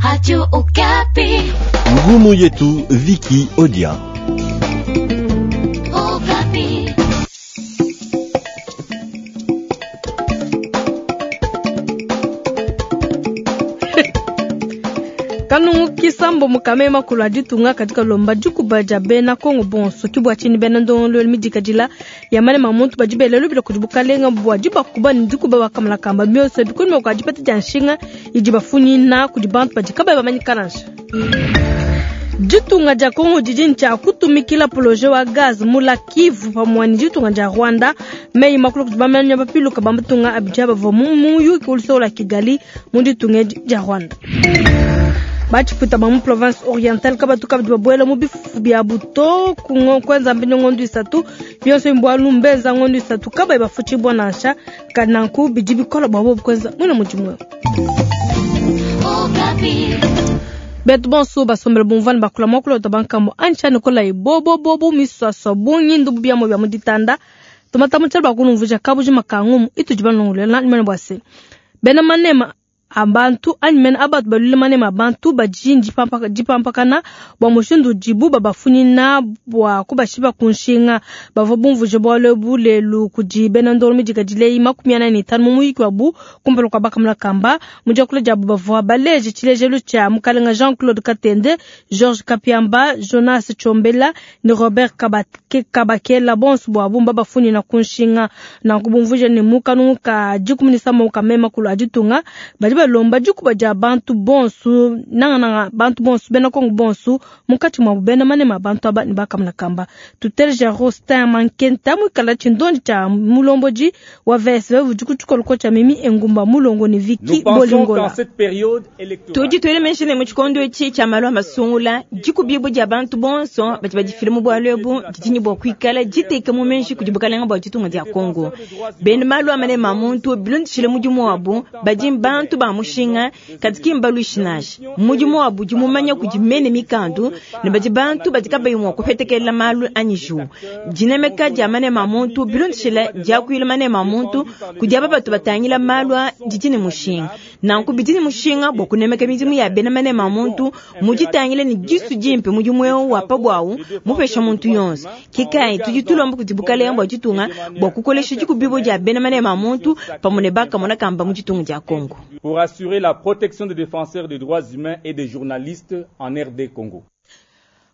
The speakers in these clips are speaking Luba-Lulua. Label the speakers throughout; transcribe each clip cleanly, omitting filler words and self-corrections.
Speaker 1: Radio Okapi.
Speaker 2: Ngumu yetu Viki Odia.
Speaker 1: Okapi.
Speaker 3: Kanungu kisambo mukame makulu a ditunga kadi kalomba dikuba dia bena Kongo bonso ke bua tshinyi bena ndongoluelu midikadila ya manema a muntu badi bela lubila kudi bukalenga bua dibakuba ne dikuba bakamona kamba bionso ebi kunyima kua dipeta dia nshinga idi bafunyina kudi bantu badi kabayi bamanyika nansha. Ditunga dia Kongo didi ne tshia kutumikila poloje wa gaz mu lac Kivu pamue ne ditunga dia Rwanda. Meyi makulu kudi bamanya bapiluka ba matunga abidi bavua mu muyuki wa luseke lua Kigali mu ditunga edi dia Rwanda. Batshipuita ba mu province orientale kabatu kabidi babuela mu bifufu biabu to kuenza mbinyo ngondo isatu bionso mbualu mbenza ngondo isatu kabayi bafutshibua nansha nanku bidi bikola bua bobu kuenza muina mudimu eu. Betu bonso basombele bumvua ne bakula muakulu wa bankambo anyi nikolayi bobobobo miswaswa bungi ndubu biamua bia mu ditanda tumata mu tshialu bakunumvuija kabujima ka ngumu itudi balongolola mene bua se bena manema a bantu anyi mene a batu baluile manema a bantu badi dipampakana bua mushindu udibu babafunyina bua kubashipa ku nshinga. Bavua bumvuije bualu ebu lelu kudi bena ndongo midikadile eyi 45 mu muyiki wabu kumpala kua bakamona kamba. Mu diakula diabu bavua baleje tshilejelu tshia mukalenga Jean-Claude Katende, Georges Kapiamba, Jonas Tshombela ne Robert Kabakela, bonso buabu mbabafunyina ku nshinga. Nanku bumvuije ne mu kanungu ka 13 ka mema kulu a ditunga badi balomba dikuba dia bantu bonso, nangananga bantu bonso bena Kongo bonso munkatshi muabu bena manema a bantu aba ne bakamona kamba. Tuteleja Rostin Mankenta muikala tshindondi tshia mulombodi wa VSV udi ku tshikoloko tshia Mimi Engumba Mulongo ne Vicky Bolingola.
Speaker 4: Tudi tuela meji ne mu tshikondo etshi tshia malu a masungula, dikubibua dia bantu bonso badi badifila mu bualu ebu didi ne bua kuikala diteka mu meji kudi bukalenga bua ditunga dia Kongo. Bena malu a manema a muntu bilondeshile mudimu wabu badi bantu ba mushinga, kadi ki mbaluishi nansha. Mudimu wabu udi mumanya kudi mene mikandu ne badi bantu badi kabayi mua kupetekela malu anyi jiwu. Dinemeka dia manema a muntu bilondeshile diakuila manema a muntu kudi aba batu batangila malu a didi ne mushinga. Nanku bidi ne mushinga bua kunemeka midimu ya bena manema a muntu mu ditangila ne disu dimpe mudimu eu wa pa buawu mupesha muntu yonso. Ke kayi tudi tulomba kudi bukalenga bua ditunga bua kukolesha dikubibua dia bena manema a muntu pamue ne bakamona kamba mu ditunga dia Congo.
Speaker 5: Pour assurer la protection des défenseurs des droits humains et des journalistes en RD Congo.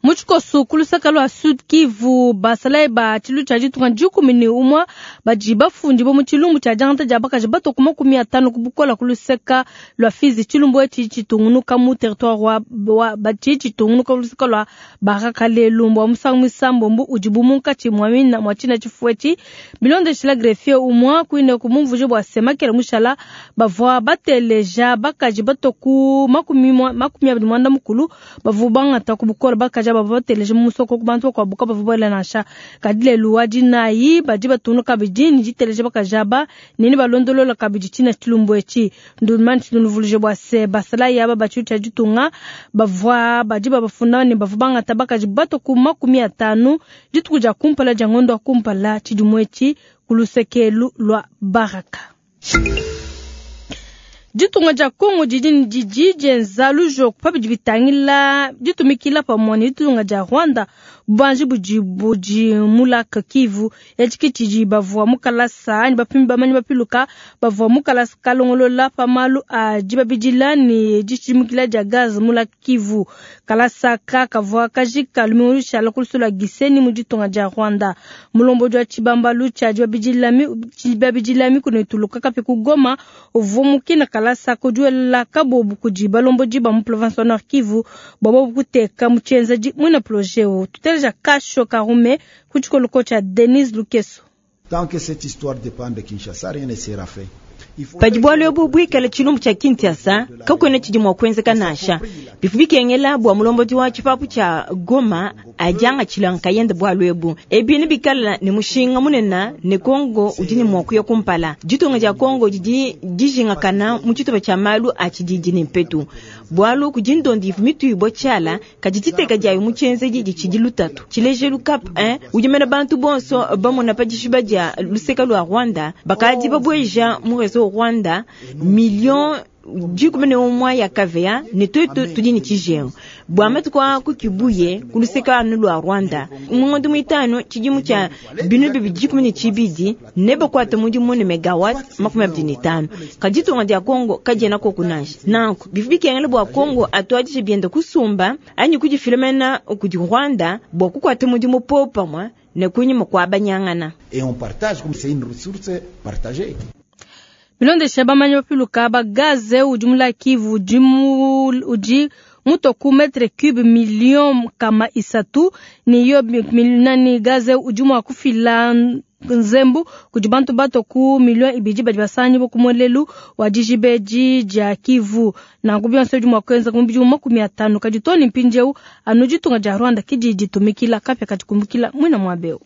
Speaker 3: Mu tshikoso ku luseke lua Sud Kivu, basalayi ba tshilu tshia ditunga 11 badi bafundibue mu tshilumbu tshia diangata dia bakaji bato ku 50 ku bukola ku luseke lua Fizi. Tshilumbu etshi tshitungunuka mu territoire wa, wa batshi tshitungunuka ku luseke lua Baraka lelu mbua musangu muisambombo udibu munkatshi mua mina mua tshina tshifu etshi. Bilondeshila greffier umua kuine ku mumvuije bua se makela mushala bavua bateleja bakaji bato ku 29 bavua bangata ku bukola bakaji bavua bateleja mu musoko ku bantu bakuabu kabavua buela nansha. Kadi lelu wa dinayi badi batungunuka kabidi ne diteleja bakaji aba ne ne balondolola kabidi tshina tshilumbu etshi. Ndumani tshilumbu bua se basalayi aba ba tshilu tshia ditunga bavua badi babafunda ne bavua bangata bakaji bato ku 50 dituku dia kumpala dia ngondo wa kumpala tshidimu etshi ku lusekelu lua Baraka. Ditunga dia Kongo didi didi dienza lujoko pa bidi bitangila ditumikila pamue ne ditunga dia Rwanda bubanji budi budi mu lac Kivu. Etshi ke tshidi bavua mu kalasa anyi bapimi bamanyi bapiluka bavua mu kalasa kalongolola pa malu a dibabidila ne dishimukila dia gaz mu lac Kivu. Kalasa ka kavua kajika lumingu lushala ku lusu lua Gisenyi mu ditunga dia Rwanda. Mulombodi wa tshibambalu tshia dibabidila mikuna ituluka kapi ku Goma uvua mukina kalasa kudiwela kabobu kudi balombodi ba mu province wa Nord Kivu bua bobu kuteka mu tshienzedi muina projet eu. Tuteleja Kasho Karume ku tshikoloko tshia Denise Lukeso.
Speaker 6: Tant que cette histoire dépend de Kinshasa, rien ne sera fait.
Speaker 4: Padi bualu ebu buikale tshilumbu tshia Kinshasa, kakuena tshidi mua kuenzeka nansha. Bivua bikengela bua mulombodi wa tshipapu tshia Goma adiangatshila nkayende bualu ebu. Ebi nebikale ne mushinga munene ne Kongo udi ne mua kuya kumpala. Ditunga dia Kongo didi dijingakana mu tshitupa tshia malu a tshididi ne mpetu. Bualu kudi ndondi ivua mituibua tshiala, kadi diteka diayo mu tshienzedi ditshidi lutatu. Tshilejelu Cap 1 udi mena bantu bonso bamona pa dishiba dia luseka lua Rwanda, bakadi babueja mu reseau Rwanda million 11 ya kVA ne tuetu tudi ne tshijengu bua matuku a ku Kibuye ku luseke anu lua Rwanda. Mu ngondo muitanu tshidimu tshia 2012 nebakuate mudimu ne megawatt 25. Kadi ditunga dia Kongo kadiena koku nansha. Nanku bivua bikengela bua Kongo atuadije bienda kusumba anyi kudifila mena kudi Rwanda bua kukuata mudimu popamue ne kunyima kua banyangana.
Speaker 6: Et on partage comme c'est une ressource partagée.
Speaker 3: Bilondeshe bamanyi bapiluka ba gaze udi mu lac Kivu udi mu udi mutua ku metre cube million 300 ne yo nani gaze udi mua kufila nzembu kudi bantu batua ku million 2 badi basangibua ku muelelu wa dijiba edi dia Kivu. Nanku bionso bidi mua kuenza mu bidimu 50 kadi too ne mpindieu anu ditunga dia Rwanda ke didi ditumikila kapia kadi kumbukila muina muaba eu.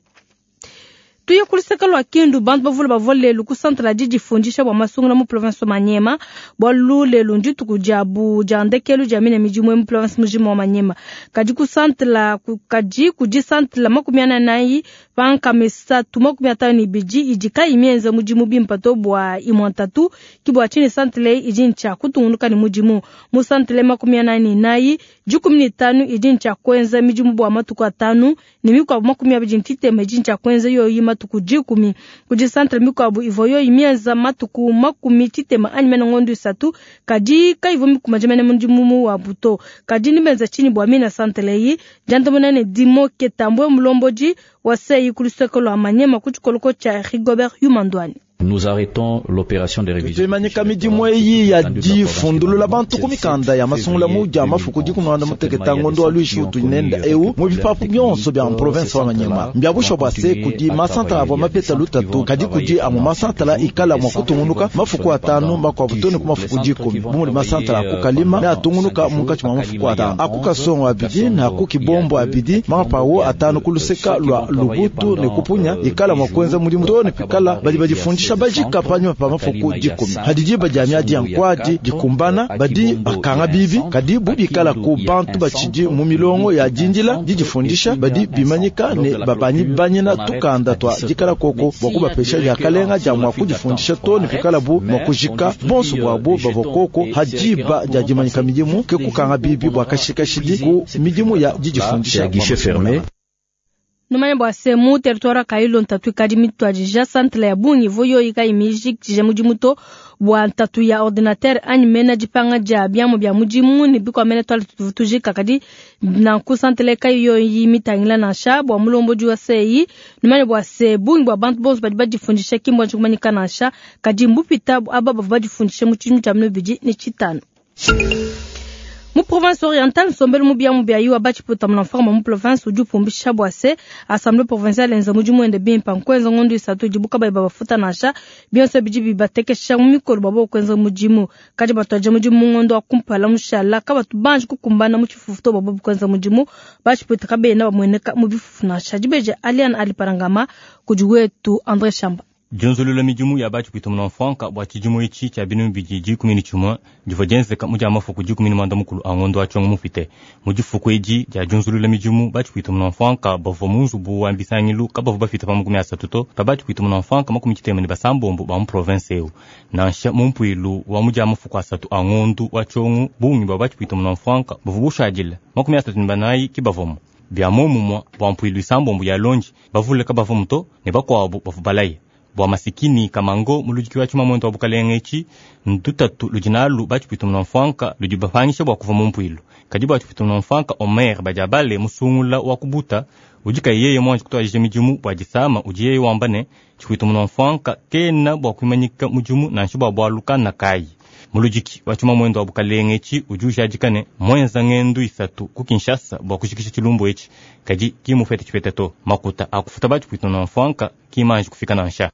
Speaker 3: Tuye ku luseke lua Kindu, bantu bavule bavua lelu ku centre la didifundisha bua masungula mu province wa Maniema, bualu lelu ndituku diabu dia ndekelu dia mine midimu mu province mujima wa Maniema. Kadi ku centre la, kadi kudi centre la 44 pa 352 idi kayi mienze mudimu bimpe to bua imue ntatu, ki bua tshinyi centre eyi idi ntshia kutungunuka ne mudimu. Mu centre 44, 15 idi ntshia kuenza midimu bua matuku 5 ne mikuabu 29 idi ntshia kuenza yoyi matuku 10. Kudi centre mikuabu ivua yoyi mienza matuku 60 anyi mene ngondo 3, kadi kayivua mikumaje mene mudimu wabu to. Kadi nibenza tshinyi bua mina centre eyi? Diandamuna ne Dimoke Tambwe mulombodi wa sei ku luseke lua Maniema ku tshikoloko tshia Rigobert Yumandwani.
Speaker 7: Nous arrêtons l'opération de révision.
Speaker 8: Tuimanyika midimu eyi ya difundulula bantu ku mikanda ya masungula mu dia mafuku dikumanda muteketa ngondo wa lwishi utunenda eu mu bipapu bionso bia province wa Maniema. Mbiabusha bua se kudi masantala avua mapeta lutatu kadi kudi amu masantala ikala mua kutungunuka mafuku 5 makuabu too ne ku mafuku 10. Bu mudi masantala aku kalima ne atungunuka munkatshi mua mafuku 5. Aku kasongo abidi ne aku kibombo abidi mapawu 5 ku luseka lua Lubutu ne kupunya ikala mua kuenza mudimu too ne pikala badi badifundisha bajika panyima pa mafuku 10. Hadi diba dia miadi ya nkwadi dikumbana badi bakanga bibi kadi bubikala ku bantu batshidi mu milongo ya dindila didifundisha badi bimanyika ne babanyi banyina tukanda twa dikala koko bua kubapesha diakalenga dia mua kudifundisha to ne pikala bu mua kujika bonso buabu bavua koko hadiba dia dimanyika midimu ke kukanga bibi bua kashikashidi ku midimu ya didifundisha.
Speaker 3: Numanya bua se mu territoire Kailo ntatu ikadi mituadija centre ya bungi ivua yoyi kayi mijikije mudimu to bua ntatu ya ordinateur anyi mena dipanga dia biamu bia mudimu ne bikua mena tuala tujika kadi nanku centre kayi yoyi mitangila nansha bua mulombodi wa sei. Numanya bua se bungi bua bantu bonso badi badifundisha ki mbua kumanyika nansha kadi mbupita aba bavua badifundisha mu tshidimu tshia 2005. Mu province orientale nsombelu mu biamu bia yiwa batshiputa mu mforma mu province udi upumbisha bua se assemblée provinciale enza mudimu wende bimpe nkuenza ngondo 3 dibuka bayi babafuta nansha bionso bidi bibatekesha mu mikolo babo kuenza mudimu kadi batuaje mudimu mu ngondo wa kumpala mushala kabatu banji kukumbana mu tshifufu to babo kuenza mudimu batshiputa kabena bamueneka mu bifufu nansha dibeje Aliane Aliparangama kudi wetu André Chamba.
Speaker 9: Dionzolula midimu ya batshipwita mu mfranka bua tshidimu etshi tshia 2011 divua dienzeka mu dia mafuku 11 a ngondo wa tshiongo mupite. Mu difuku edi dia dionzolula midimu batshipwita mu mfranka bavua mu nzubu wa bisangilu kabavua bafita pa 30 to pa batshipwita mu mfranka 96 ba mu province eu. Nansha mu mpuilu wa mu dia mafuku 3 a ngondo wa tshiongo bungi bua batshipwita mu mfranka bavua bushadile 34 ki bavomo. Bia momumua bua mpuilu isambombo ya lonji bavule kabavua muto ne bakuabu bavua balaye. Bua masikini kamango muludiki wa tshimamuende wa bukalenge etshi ndutatu ludi nalu batshipwita mu mfranka ludi bapangisha bua kuva mu mpuilu. Kadi bua tshipwita mu mfranka Omer badiabale musungula wa kubuta udi kayi yeye muanji kutuadija midimu bua disama udi yeye wamba ne tshipwita mu mfranka kena bua kuimanyika mudimu nansha bua bualu kana kayi. Muludiki wa tshimamuende wa bukalenge etshi udi ujadika ne mwenza ngendu 3 ku Kinshasa bua kushikisha tshilumbu etshi kadi kimufete tshipete to makuta akufuta batshipwita mu mfranka kimanji kufika nansha.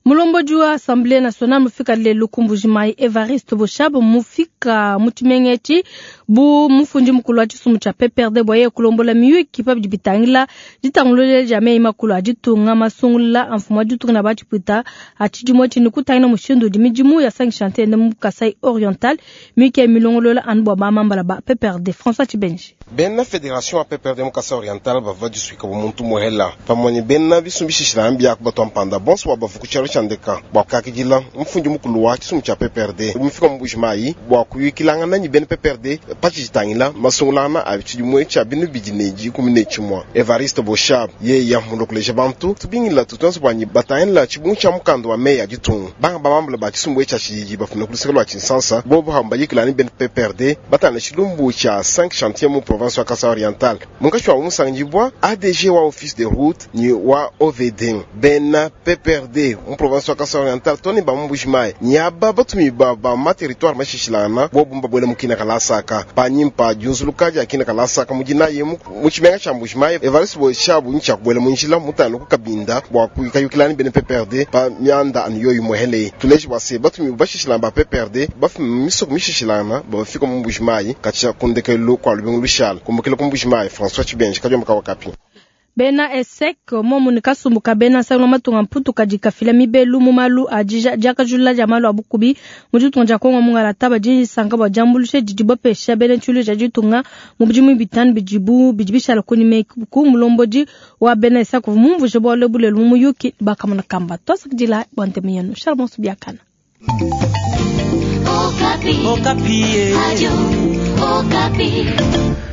Speaker 3: Mulombodi wa Assemblée nationale mufika lelu ku Mbujimayi Evariste Boshab mufika mu tshimenga etshi bu mufundi mukulu wa tshisumbu tshia PPRD bua yeye kulombola miyuki pa bidi bitangila ditangulula dia meyi makulu a ditunga masungula a mfumu wa ditunga na batshipwita a tshidimu etshi ne kutangila mushindu udi midimu ya sangisha ntende mu Kasai Oriental miyuki ya milongolola anu bua bamambala ba PPRD. François Tshibenji.
Speaker 10: Bena Fédération ya PPRD mu Kasai Oriental bavua disuika bu muntu muhela pamue ne bena bisumbishishila mbiaku batwa mpanda bonso bua bavu ku tshialo tshia ndeka bua kakidila mfundi mukulu wa tshisumbu tshia PPRD mufika mu Mbuji-Mayi bua kuyukilangana ne bena PPRD patshitangila masungulana a tshidimu tshia binu bidi ne 11. Evariste Boshab yeya mulokuleja bantu tubingila tutonso bwanyi batangila tshibungu tshia mukanda wa meya ditunga banga bamambula ba tshisumbu tshia tshididi bafuna ku luseke lwa Tshinsansa bobo hamba yikilani bena PPRD batangila tshilumbu tshia 5 chantier mu province wa Kasai Oriental munkashi wa musangibwa ADG wa office de route ni wa OVD bena PPRD mu province wa Kasai Oriental toni ba mu Mbuji-Mayi nyaba batumi ba ba ma territoire mashishilana bobo mbabwela mukina kalasaka panyimpa diunzuluka dia kina kalasaka mudina ye mu tshimenga tshia Mbuji-Mayi Evariste Boshab ntshia kubuela mu njila mutano ku Kabinda bua kuyukilani bena PPRD pa mianda anu yoyi muhele tuleji bua se batumi bashishilana ba PPRD bafuma misoko mishishilana bafika mu Mbuji-Mayi katshia kundekelu kwa lubingu lushala kumbukila ku Mbuji-Mayi François Tshibenji kadiomba ka Okapi.
Speaker 3: Bena ESEC momu ne kasumbu ka bena nsangu matunga mputu kadi kafila mibelu mu malu a diakajulula dia malu a bukubi mu ditunga dia Kongo mungalata badi sanka bua diambuluisha didi bapesha bena tshilu tshia ditunga mu bidimu bitanu bidibu bidi bishala kunyima ku mulombodi wa bena ESEC mumvuje bualu bulelu mu muyuki bakamona kamba twasakidila bua ntemu yenu Charles Biakana.
Speaker 1: Okapi. Okapi. Radio Okapi.